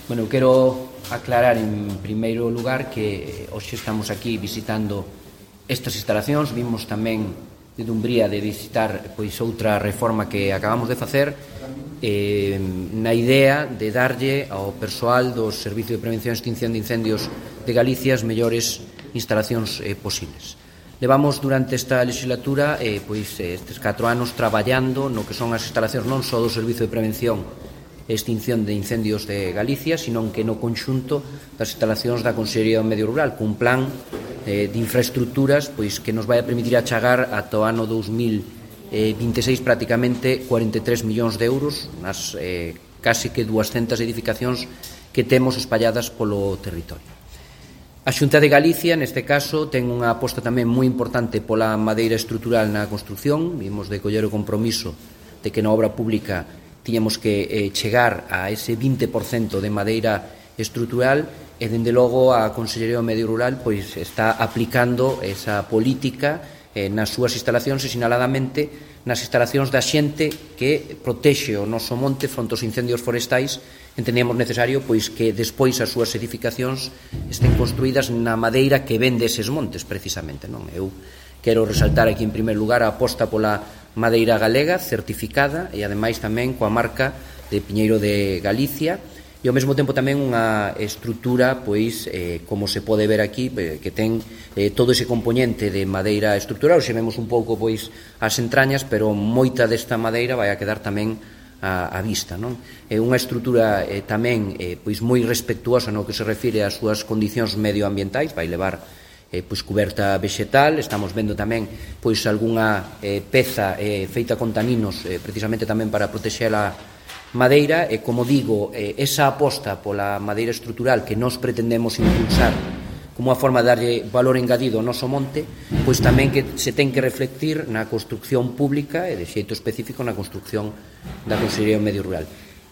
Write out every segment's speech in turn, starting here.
Bueno, eu quero aclarar en primeiro lugar que hoxe estamos aquí visitando estas instalacións. Vimos tamén de Dumbría de visitar outra reforma que acabamos de facer na idea de darlle ao persoal do Servicio de Prevención e Extinción de Incendios de Galicia as mellores instalacións posibles. Levamos durante esta legislatura estes 4 anos traballando no que son as instalacións non só do Servicio de Prevención e Extinción de Incendios de Galicia, senón que no conxunto das instalacións da Consellería do Medio Rural, cun plan de infraestructuras que nos vai a permitir achegar ata o ano 2026 prácticamente 43 millóns de euros nas case que 200 edificacións que temos espalladas polo territorio. A Xunta de Galicia, neste caso, ten unha aposta tamén moi importante pola madeira estrutural na construción. Vimos de coller o compromiso de que na obra pública tiñamos que chegar a ese 20% de madeira estrutural e, dende logo, a Consellería do Medio Rural está aplicando esa política nas súas instalacións e, sinaladamente, nas instalacións da xente que protexe o noso monte fronte aos incendios forestais. Entendíamos necesario que despois as súas edificacións estén construídas na madeira que ven deses montes, precisamente. Eu quero resaltar aquí, en primeiro lugar, a aposta pola madeira galega, certificada, e ademais tamén coa marca de Piñeiro de Galicia, e ao mesmo tempo tamén unha estrutura, como se pode ver aquí, que ten todo ese componente de madeira estrutural. Xe vemos un pouco as entrañas, pero moita desta madeira vai a quedar tamén á vista. É unha estrutura tamén moi respectuosa no que se refire ás súas condicións medioambientais, vai levar cuberta vexetal. Estamos vendo tamén algunha peza feita con taninos precisamente tamén para protexer a madeira e, como digo, esa aposta pola madeira estrutural que nós pretendemos impulsar como unha forma de darlle valor engadido ao noso monte, tamén que se ten que reflectir na construcción pública e de xeito específico na construcción da Consellería do Medio Rural.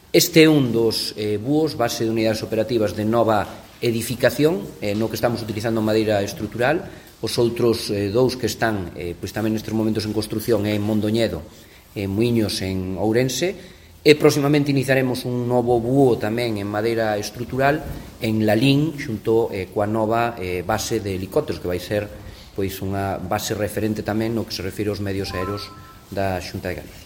Este é un dos búhos, base de unidades operativas de nova edificación, no que estamos utilizando madeira estrutural. Os outros dous que están tamén nestes momentos en construcción é en Mondoñedo e Muiños en Ourense, e próximamente iniciaremos un novo búho tamén en madeira estrutural en Lalín, xunto coa nova base de helicópteros, que vai ser unha base referente tamén no que se refire aos medios aéreos da Xunta de Galicia.